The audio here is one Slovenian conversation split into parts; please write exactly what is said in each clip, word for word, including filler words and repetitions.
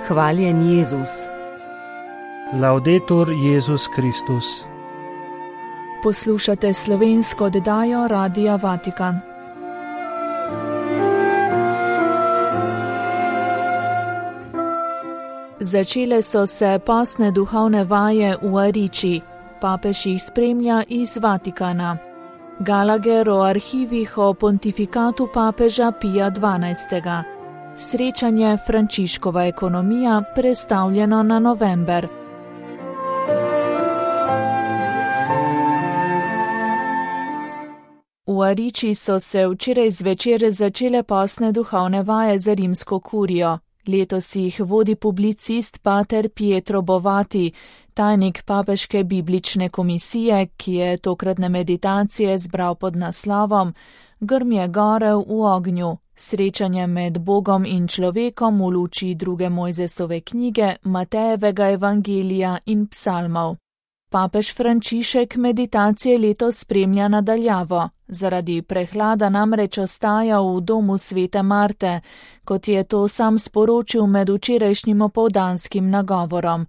Hvaljen Jezus. Laudetur Jezus Kristus. Poslušate slovensko oddajo Radia Vatikan. Začele so se postne duhovne vaje v Ariči. Papež jih spremlja iz Vatikana. Gallagher o arhivih o pontifikatu papeža Pija dvanajstega. Srečanje Frančiškova ekonomija prestavljeno na november. V Ariči so se včeraj zvečer začele postne duhovne vaje za rimsko kurijo. Letos jih vodi publicist pater Pietro Bovati, tajnik papeške biblične komisije, ki je tokratne meditacije zbral pod naslovom Grmje gore v ognju, srečanje med Bogom in človekom v luči druge Mojzesove knjige, Matejevega evangelija in psalmov. Papež Frančišek meditacije letos spremlja nadaljavo. Zaradi prehlada namreč ostaja v domu svete Marte, kot je to sam sporočil med včerajšnjim opoldanskim nagovorom.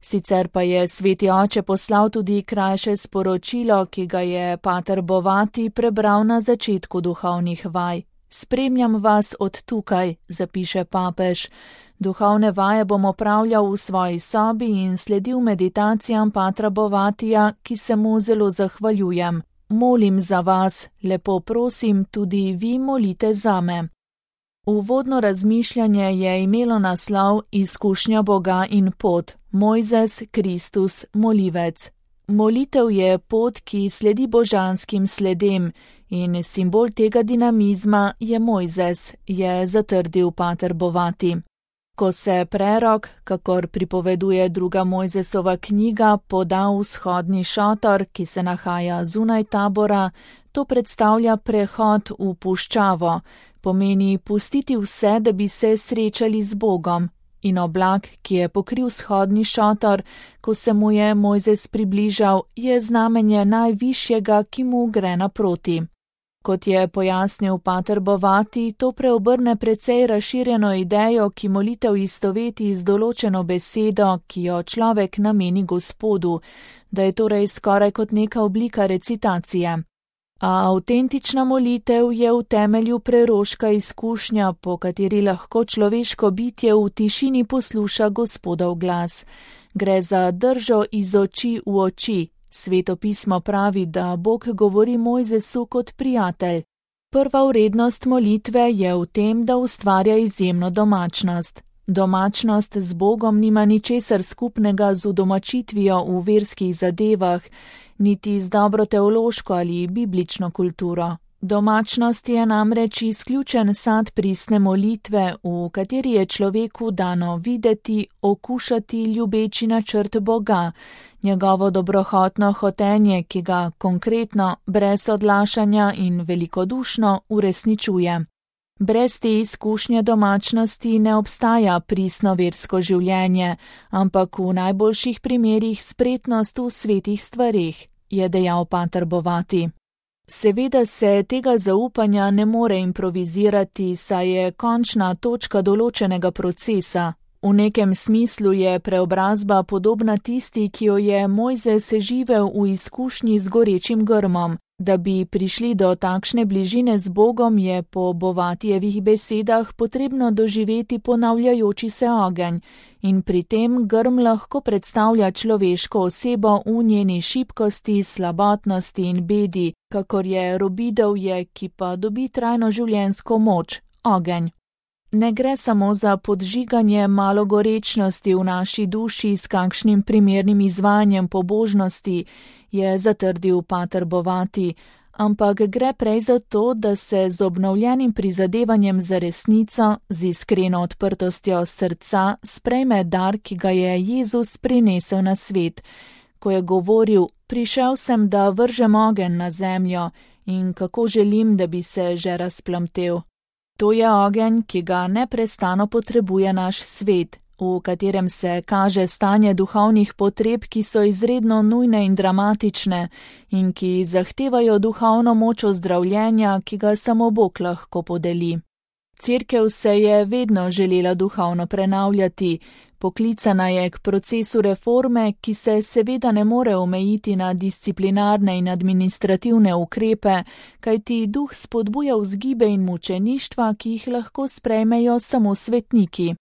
Sicer pa je sveti oče poslal tudi krajše sporočilo, ki ga je pater Bovati prebral na začetku duhovnih vaj. Spremljam vas od tukaj, zapiše papež. Duhovne vaje bom opravljal v svoji sobi in sledil meditacijam patra Bovatija, ki se mu zelo zahvaljujem. Molim za vas, lepo prosim, tudi vi molite zame. Uvodno razmišljanje je imelo naslov Izkušnja Boga in pot, Mojzes, Kristus, molivec. Molitev je pot, ki sledi božanskim sledem, in simbol tega dinamizma je Mojzes, je zatrdil pater Bovati. Ko se prerok, kakor pripoveduje druga Mojzesova knjiga, poda v vzhodni šotor, ki se nahaja zunaj tabora, to predstavlja prehod v puščavo, pomeni pustiti vse, da bi se srečali z Bogom. In oblak, ki je pokril vzhodni šotor, ko se mu je Mojzes približal, je znamenje najvišjega, ki mu gre naproti. Kot je pojasnil pater Bovati, to preobrne precej razširjeno idejo, ki molitev istoveti z določeno besedo, ki jo človek nameni Gospodu, da je torej skoraj kot neka oblika recitacije. A avtentična molitev je v temelju preroška izkušnja, po kateri lahko človeško bitje v tišini posluša Gospodov glas. Gre za držo iz oči v oči. Sveto pismo pravi, da Bog govori Mojzesu kot prijatelj. Prva vrednost molitve je v tem, da ustvarja izjemno domačnost. Domačnost z Bogom nima ničesar skupnega z udomačitvijo v verskih zadevah, niti z dobro teološko ali biblično kulturo. Domačnost je namreč izključen sad pristne molitve, v kateri je človeku dano videti, okušati ljubeči načrt Boga, njegovo dobrohotno hotenje, ki ga konkretno, brez odlašanja in velikodušno uresničuje. Brez te izkušnje domačnosti ne obstaja pristno versko življenje, ampak v najboljših primerih spretnost v svetih stvareh, je dejal pater Bovati. Seveda se tega zaupanja ne more improvizirati, saj je končna točka določenega procesa. V nekem smislu je preobrazba podobna tisti, ki jo je Mojzes živel v izkušnji z gorečim grmom. Da bi prišli do takšne bližine z Bogom, je po Bovatijevih besedah potrebno doživeti ponavljajoči se ogenj, in pri tem grm lahko predstavlja človeško osebo v njeni šibkosti, slabotnosti in bedi, kakor je robidovje, ki pa dobi trajno življenjsko moč, ogenj. Ne gre samo za podžiganje malogorečnosti v naši duši s kakšnim primernim izvajanjem pobožnosti, je zatrdil pater Bovati, ampak gre prej za to, da se z obnovljenim prizadevanjem za resnico, z iskreno odprtostjo srca sprejme dar, ki ga je Jezus prinesel na svet, ko je govoril: prišel sem, da vržem ogenj na zemljo, in kako želim, da bi se že razplamtel. To je ogenj, ki ga neprestano potrebuje naš svet, v katerem se kaže stanje duhovnih potreb, ki so izredno nujne in dramatične in ki zahtevajo duhovno moč ozdravljenja, ki ga samo Bog lahko podeli. Cerkev se je vedno želela duhovno prenavljati, poklicana je k procesu reforme, ki se seveda ne more omejiti na disciplinarne in administrativne ukrepe, kajti duh spodbuja vzgibe in mučeništva, ki jih lahko sprejmejo samo svetniki.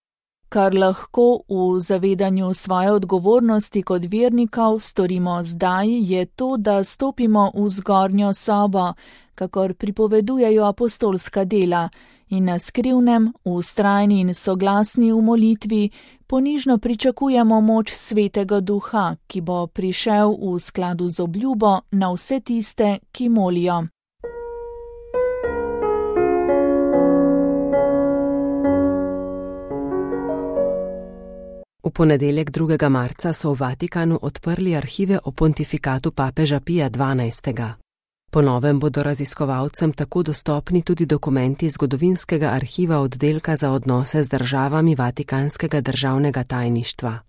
Kar lahko v zavedanju svoje odgovornosti kot vernikov storimo zdaj, je to, da stopimo v zgornjo sobo, kakor pripovedujejo apostolska dela, in na skrivnem, vztrajni in soglasni v molitvi ponižno pričakujemo moč Svetega Duha, ki bo prišel v skladu z obljubo na vse tiste, ki molijo. V ponedeljek drugega marca so v Vatikanu odprli arhive o pontifikatu papeža Pija dvanajstega. Po novem bodo raziskovalcem tako dostopni tudi dokumenti zgodovinskega arhiva oddelka za odnose z državami Vatikanskega državnega tajništva.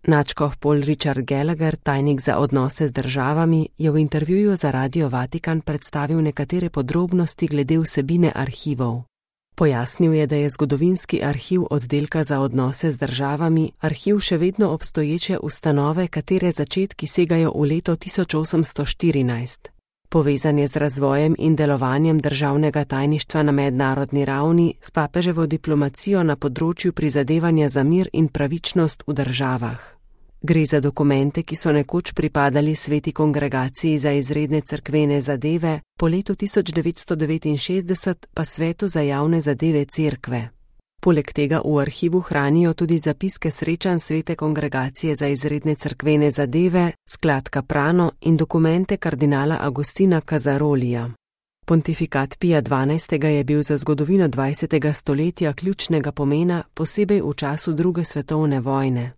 Nadškof Paul Richard Gallagher, tajnik za odnose z državami, je v intervjuju za Radio Vatikan predstavil nekatere podrobnosti glede vsebine arhivov. Pojasnil je, da je zgodovinski arhiv oddelka za odnose z državami arhiv še vedno obstoječe ustanove, katere začetki segajo v leto tisoč osemsto štirinajst. Povezan je z razvojem in delovanjem državnega tajništva na mednarodni ravni, s papeževo diplomacijo na področju prizadevanja za mir in pravičnost v državah. Gre za dokumente, ki so nekoč pripadali Sveti kongregaciji za izredne cerkvene zadeve, po letu tisoč devetsto devetinšestdeset pa Svetu za javne zadeve cerkve. Poleg tega v arhivu hranijo tudi zapiske srečanj Svete kongregacije za izredne cerkvene zadeve, sklad Prano in dokumente kardinala Agustina Casarolija. Pontifikat Pija dvanajstega je bil za zgodovino dvajsetega stoletja ključnega pomena, posebej v času druge svetovne vojne.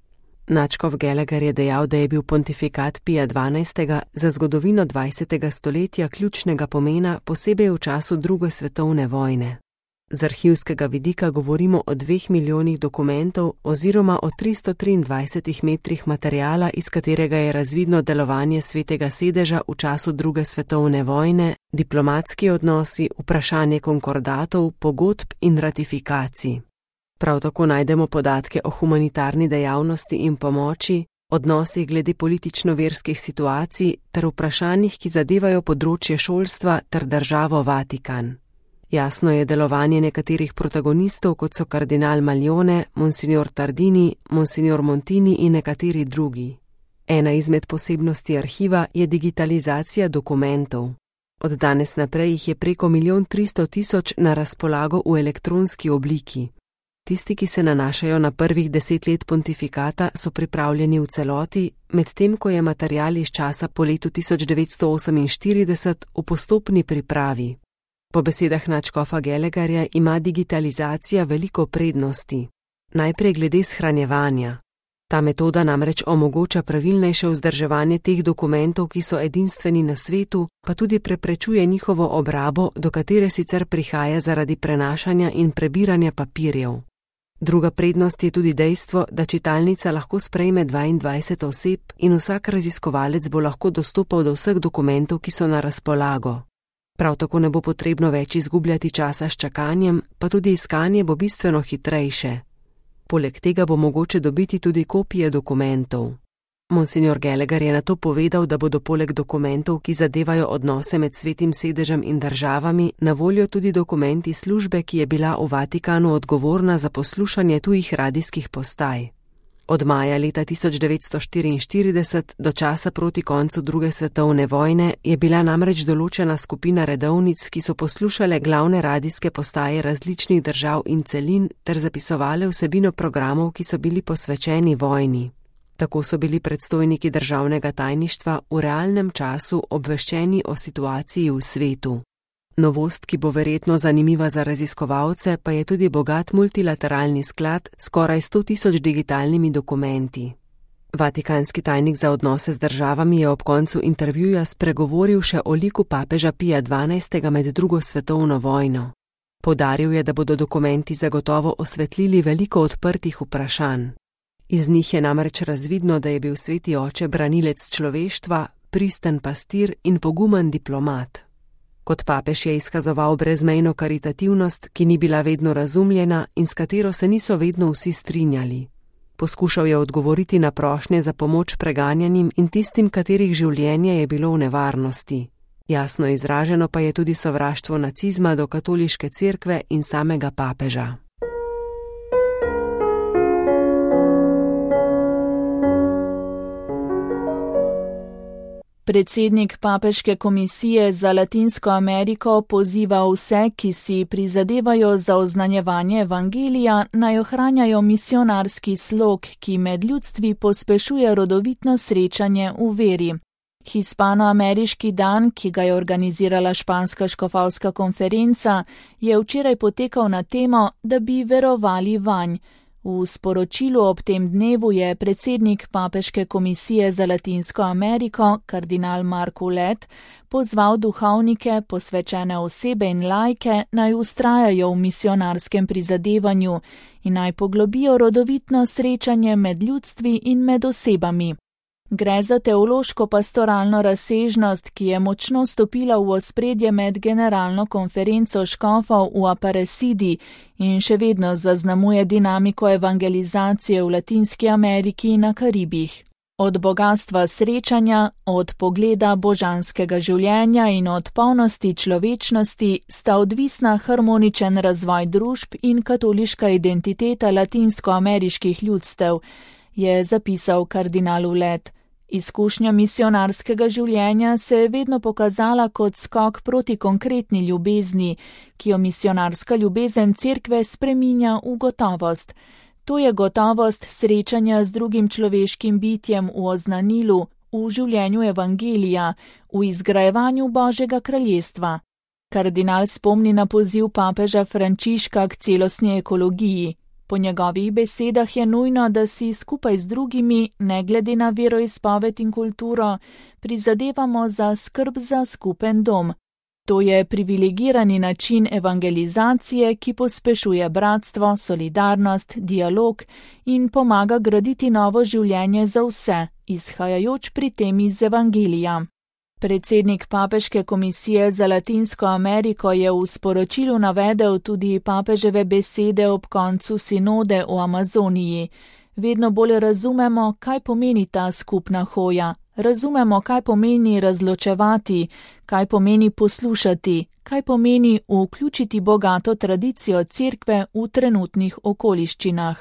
Nadškof Gallagher je dejal, da je bil pontifikat Pija dvanajstega za zgodovino dvajsetega stoletja ključnega pomena, posebej v času druge svetovne vojne. Z arhivskega vidika govorimo o dveh milijonih dokumentov oziroma o tristo triindvajsetih metrih materijala, iz katerega je razvidno delovanje Svetega sedeža v času druge svetovne vojne, diplomatski odnosi, vprašanje konkordatov, pogodb in ratifikacij. Prav tako najdemo podatke o humanitarni dejavnosti in pomoči, odnosih glede politično-verskih situacij ter vprašanjih, ki zadevajo področje šolstva ter državo Vatikan. Jasno je delovanje nekaterih protagonistov, kot so kardinal Maljone, monsignor Tardini, monsignor Montini in nekateri drugi. Ena izmed posebnosti arhiva je digitalizacija dokumentov. Od danes naprej jih je preko milijon tristo tisoč na razpolago v elektronski obliki. Tisti, ki se nanašajo na prvih deset let pontifikata, so pripravljeni v celoti, medtem ko je material iz časa po letu tisoč devetsto oseminštirideset v postopni pripravi. Po besedah nadškofa Gallagherja ima digitalizacija veliko prednosti. Najprej glede shranjevanja. Ta metoda namreč omogoča pravilnejše vzdrževanje teh dokumentov, ki so edinstveni na svetu, pa tudi preprečuje njihovo obrabo, do katere sicer prihaja zaradi prenašanja in prebiranja papirjev. Druga prednost je tudi dejstvo, da čitalnica lahko sprejme dvaindvajset oseb in vsak raziskovalec bo lahko dostopal do vseh dokumentov, ki so na razpolago. Prav tako ne bo potrebno več izgubljati časa s čakanjem, pa tudi iskanje bo bistveno hitrejše. Poleg tega bo mogoče dobiti tudi kopije dokumentov. Monsignor Gallagher je na to povedal, da bodo poleg dokumentov, ki zadevajo odnose med Svetim sedežem in državami, na voljo tudi dokumenti službe, ki je bila v Vatikanu odgovorna za poslušanje tujih radijskih postaj. Od maja leta tisoč devetsto štiriinštirideset do časa proti koncu druge svetovne vojne je bila namreč določena skupina redovnic, ki so poslušale glavne radijske postaje različnih držav in celin ter zapisovale vsebino programov, ki so bili posvečeni vojni. Tako so bili predstojniki državnega tajništva v realnem času obveščeni o situaciji v svetu. Novost, ki bo verjetno zanimiva za raziskovalce, pa je tudi bogat multilateralni sklad s skoraj sto tisoč digitalnimi dokumenti. Vatikanski tajnik za odnose z državami je ob koncu intervjuja spregovoril še o liku papeža Pija dvanajstega med drugo svetovno vojno. Poudaril je, da bodo dokumenti zagotovo osvetlili veliko odprtih vprašanj. Iz njih je namreč razvidno, da je bil sveti oče branilec človeštva, pristen pastir in pogumen diplomat. Kot papež je izkazoval brezmejno karitativnost, ki ni bila vedno razumljena in s katero se niso vedno vsi strinjali. Poskušal je odgovoriti na prošnje za pomoč preganjanim in tistim, katerih življenje je bilo v nevarnosti. Jasno izraženo pa je tudi sovraštvo nacizma do katoliške cerkve in samega papeža. Predsednik Papeške komisije za Latinsko Ameriko poziva vse, ki si prizadevajo za oznanjevanje evangelija, naj ohranjajo misionarski slog, ki med ljudstvi pospešuje rodovitno srečanje v veri. Hispanoameriški dan, ki ga je organizirala španska škofovska konferenca, je včeraj potekal na temo, da bi verovali vanj. V sporočilu ob tem dnevu je predsednik Papeške komisije za Latinsko Ameriko, kardinal Mark Ouellet, pozval duhovnike, posvečene osebe in laike, naj vztrajajo v misionarskem prizadevanju in naj poglobijo rodovitno srečanje med ljudstvi in med osebami. Gre za teološko-pastoralno razsežnost, ki je močno stopila v ospredje med generalno konferenco škofov v Aparecidi in še vedno zaznamuje dinamiko evangelizacije v Latinski Ameriki in na Karibih. Od bogatstva srečanja, od pogleda božanskega življenja in od polnosti človečnosti sta odvisna harmoničen razvoj družb in katoliška identiteta latinskoameriških ljudstev, je zapisal kardinal Ouellet. Izkušnja misionarskega življenja se je vedno pokazala kot skok proti konkretni ljubezni, ki jo misionarska ljubezen cerkve spreminja v gotovost. To je gotovost srečanja z drugim človeškim bitjem v oznanilu, v življenju evangelija, v izgrajevanju Božjega kraljestva. Kardinal spomni na poziv papeža Frančiška k celostni ekologiji. Po njegovih besedah je nujno, da si skupaj z drugimi, ne glede na veroizpoved in kulturo, prizadevamo za skrb za skupen dom. To je privilegirani način evangelizacije, ki pospešuje bratstvo, solidarnost, dialog in pomaga graditi novo življenje za vse, izhajajoč pri tem iz evangelija. Predsednik Papeške komisije za Latinsko Ameriko je v sporočilu navedel tudi papeževe besede ob koncu sinode o Amazoniji. Vedno bolj razumemo, kaj pomeni ta skupna hoja. Razumemo, kaj pomeni razločevati, kaj pomeni poslušati, kaj pomeni vključiti bogato tradicijo cerkve v trenutnih okoliščinah.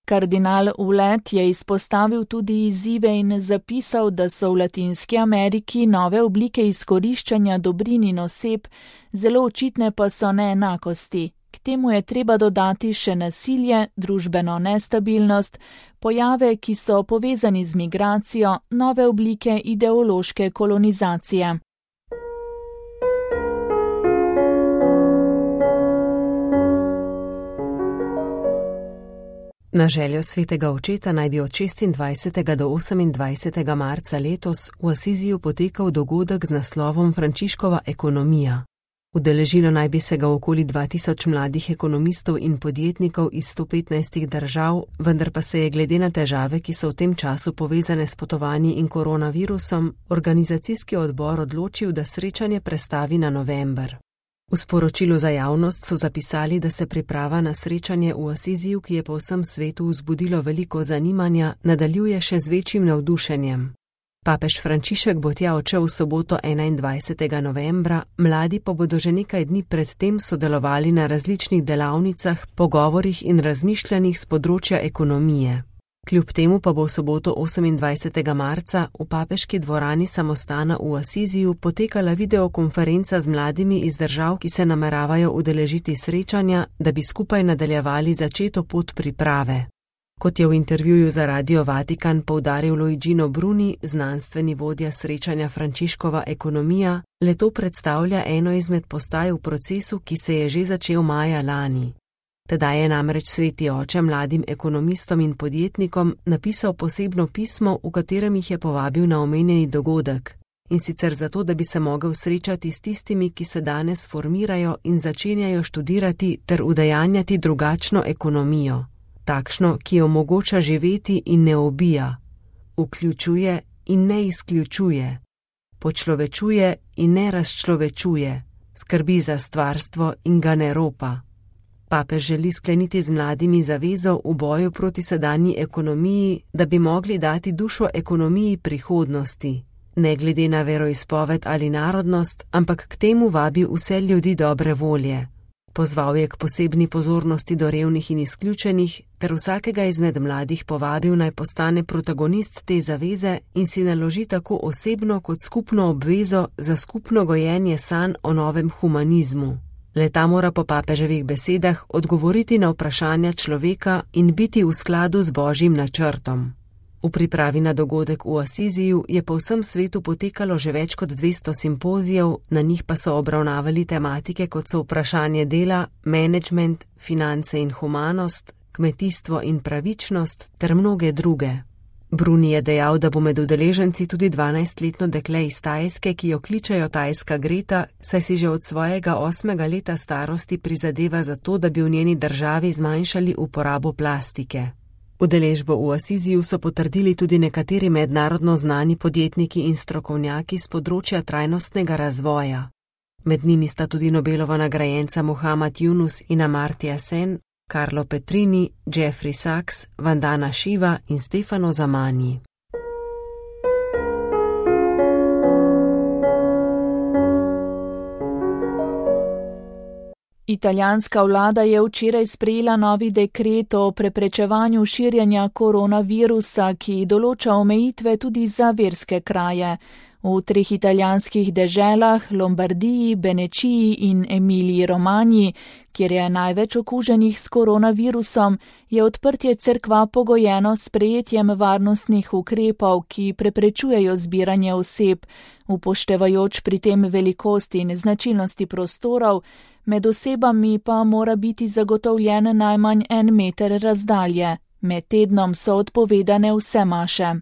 Kardinal Ouellet je izpostavil tudi izzive in zapisal, da so v Latinski Ameriki nove oblike izkoriščanja dobrin in oseb, zelo očitne pa so neenakosti. K temu je treba dodati še nasilje, družbeno nestabilnost, pojave, ki so povezani z migracijo, nove oblike ideološke kolonizacije. Na željo svetega očeta naj bi od šestindvajsetega do osemindvajsetega marca letos v Asiziju potekal dogodek z naslovom Frančiškova ekonomija. Udeležilo naj bi se ga okoli dva tisoč mladih ekonomistov in podjetnikov iz sto petnajstih držav, vendar pa se je glede na težave, ki so v tem času povezane s potovanji in koronavirusom, organizacijski odbor odločil, da srečanje prestavi na november. V sporočilu za javnost so zapisali, da se priprava na srečanje v Asiziju, ki je po vsem svetu vzbudilo veliko zanimanja, nadaljuje še z večjim navdušenjem. Papež Frančišek bo tja odšel v soboto enaindvajsetega novembra, mladi pa bodo že nekaj dni pred tem sodelovali na različnih delavnicah, pogovorih in razmišljanjih z področja ekonomije. Kljub temu pa bo v soboto osemindvajsetega marca v papeški dvorani samostana v Asiziju potekala videokonferenca z mladimi iz držav, ki se nameravajo udeležiti srečanja, da bi skupaj nadaljevali začeto pot priprave. Kot je v intervjuju za Radio Vatikan poudaril Luigino Bruni, znanstveni vodja srečanja Frančiškova ekonomija, le to predstavlja eno izmed postaj v procesu, ki se je že začel maja lani. Tedaj je namreč sveti oče mladim ekonomistom in podjetnikom napisal posebno pismo, v katerem jih je povabil na omenjeni dogodek. In sicer zato, da bi se mogel srečati s tistimi, ki se danes formirajo in začenjajo študirati ter udejanjati drugačno ekonomijo. Takšno, ki omogoča živeti in ne ubija, vključuje in ne izključuje, počlovečuje in ne razčlovečuje, Skrbi za stvarstvo in ga ne ropa. Papež želi skleniti z mladimi zavezo v boju proti sedanji ekonomiji, da bi mogli dati dušo ekonomiji prihodnosti, ne glede na veroizpoved ali narodnost, ampak k temu vabi vse ljudi dobre volje. Pozval je k posebni pozornosti do revnih in izključenih, ter vsakega izmed mladih povabil naj postane protagonist te zaveze in si naloži tako osebno kot skupno obvezo za skupno gojenje sanj o novem humanizmu. Le-ta mora po papeževih besedah odgovoriti na vprašanja človeka in biti v skladu z božjim načrtom. V pripravi na dogodek v Asiziju je po vsem svetu potekalo že več kot dvesto simpozijev, na njih pa so obravnavali tematike kot so vprašanje dela, menedžment, finance in humanost, kmetijstvo in pravičnost ter mnoge druge. Bruni je dejal, da bo med udeleženci tudi dvanajstletno dekle iz Tajske, ki jo kličejo Tajska Greta, saj si že od svojega osmega leta starosti prizadeva za to, da bi v njeni državi zmanjšali uporabo plastike. Udeležbo v Asiziju so potrdili tudi nekateri mednarodno znani podjetniki in strokovnjaki z področja trajnostnega razvoja. Med njimi sta tudi Nobelova nagrajenca Muhammad Yunus in Amartya Sen, Carlo Petrini, Jeffrey Sachs, Vandana Shiva in Stefano Zamani. Italijanska vlada je včeraj sprejela novi dekret o preprečevanju širjenja koronavirusa, ki določa omejitve tudi za verske kraje. V treh italijanskih deželah, Lombardiji, Benečiji in Emiliji Romanji, kjer je največ okuženih s koronavirusom, je odprtje cerkva pogojeno s sprejetjem varnostnih ukrepov, ki preprečujejo zbiranje oseb, upoštevajoč pri tem velikost in značilnosti prostorov, med osebami pa mora biti zagotovljen najmanj en meter razdalje. Med tednom so odpovedane vse maše.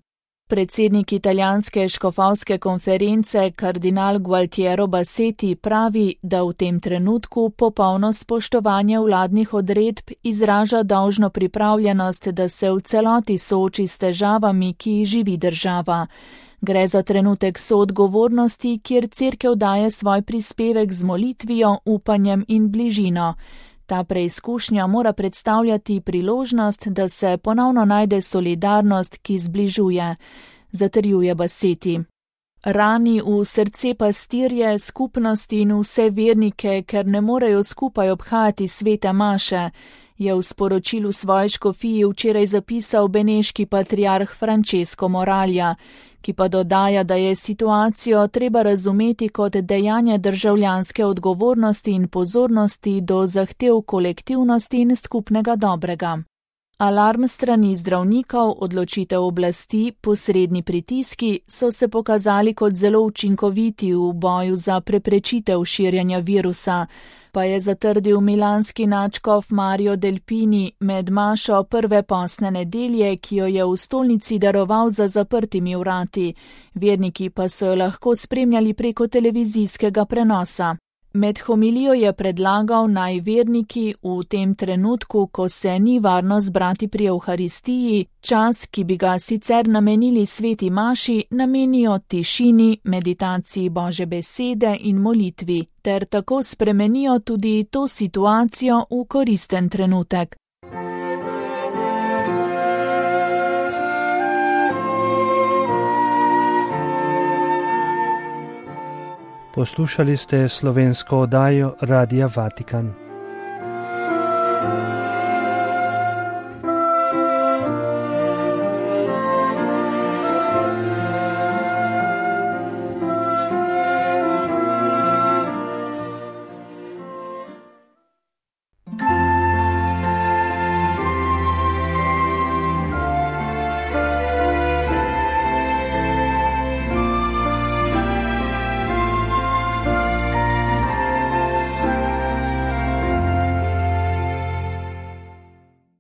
Predsednik italijanske škofovske konference, kardinal Gualtiero Bassetti, pravi, da v tem trenutku popolno spoštovanje vladnih odredb izraža dolžno pripravljenost, da se v celoti sooči s težavami, ki jih živi država. Gre za trenutek soodgovornosti, kjer cerkev daje svoj prispevek z molitvijo, upanjem in bližino. Ta preizkušnja mora predstavljati priložnost, da se ponovno najde solidarnost, ki zbližuje, zatrjuje Bassetti. Rani v srce pastirje, skupnosti in vse vernike, ker ne morejo skupaj obhajati svete maše, je v sporočilu svoje škofiji včeraj zapisal beneški patriarh Francesco Moralja, ki pa dodaja, da je situacijo treba razumeti kot dejanje državljanske odgovornosti in pozornosti do zahtev kolektivnosti in skupnega dobrega. Alarm strani zdravnikov, odločitev oblasti, posredni pritiski so se pokazali kot zelo učinkoviti v boju za preprečitev širjenja virusa, pa je zatrdil milanski nadškof Mario Delpini med mašo prve postne nedelje, ki jo je v stolnici daroval za zaprtimi vrati. Verniki pa so jo lahko spremljali preko televizijskega prenosa. Med homilijo je predlagal, naj verniki v tem trenutku, ko se ni varno zbrati pri Evharistiji, čas, ki bi ga sicer namenili sveti maši, namenijo tišini, meditaciji Božje besede in molitvi, ter tako spremenijo tudi to situacijo v koristen trenutek. Poslušali ste slovensko oddajo Radia Vatikan.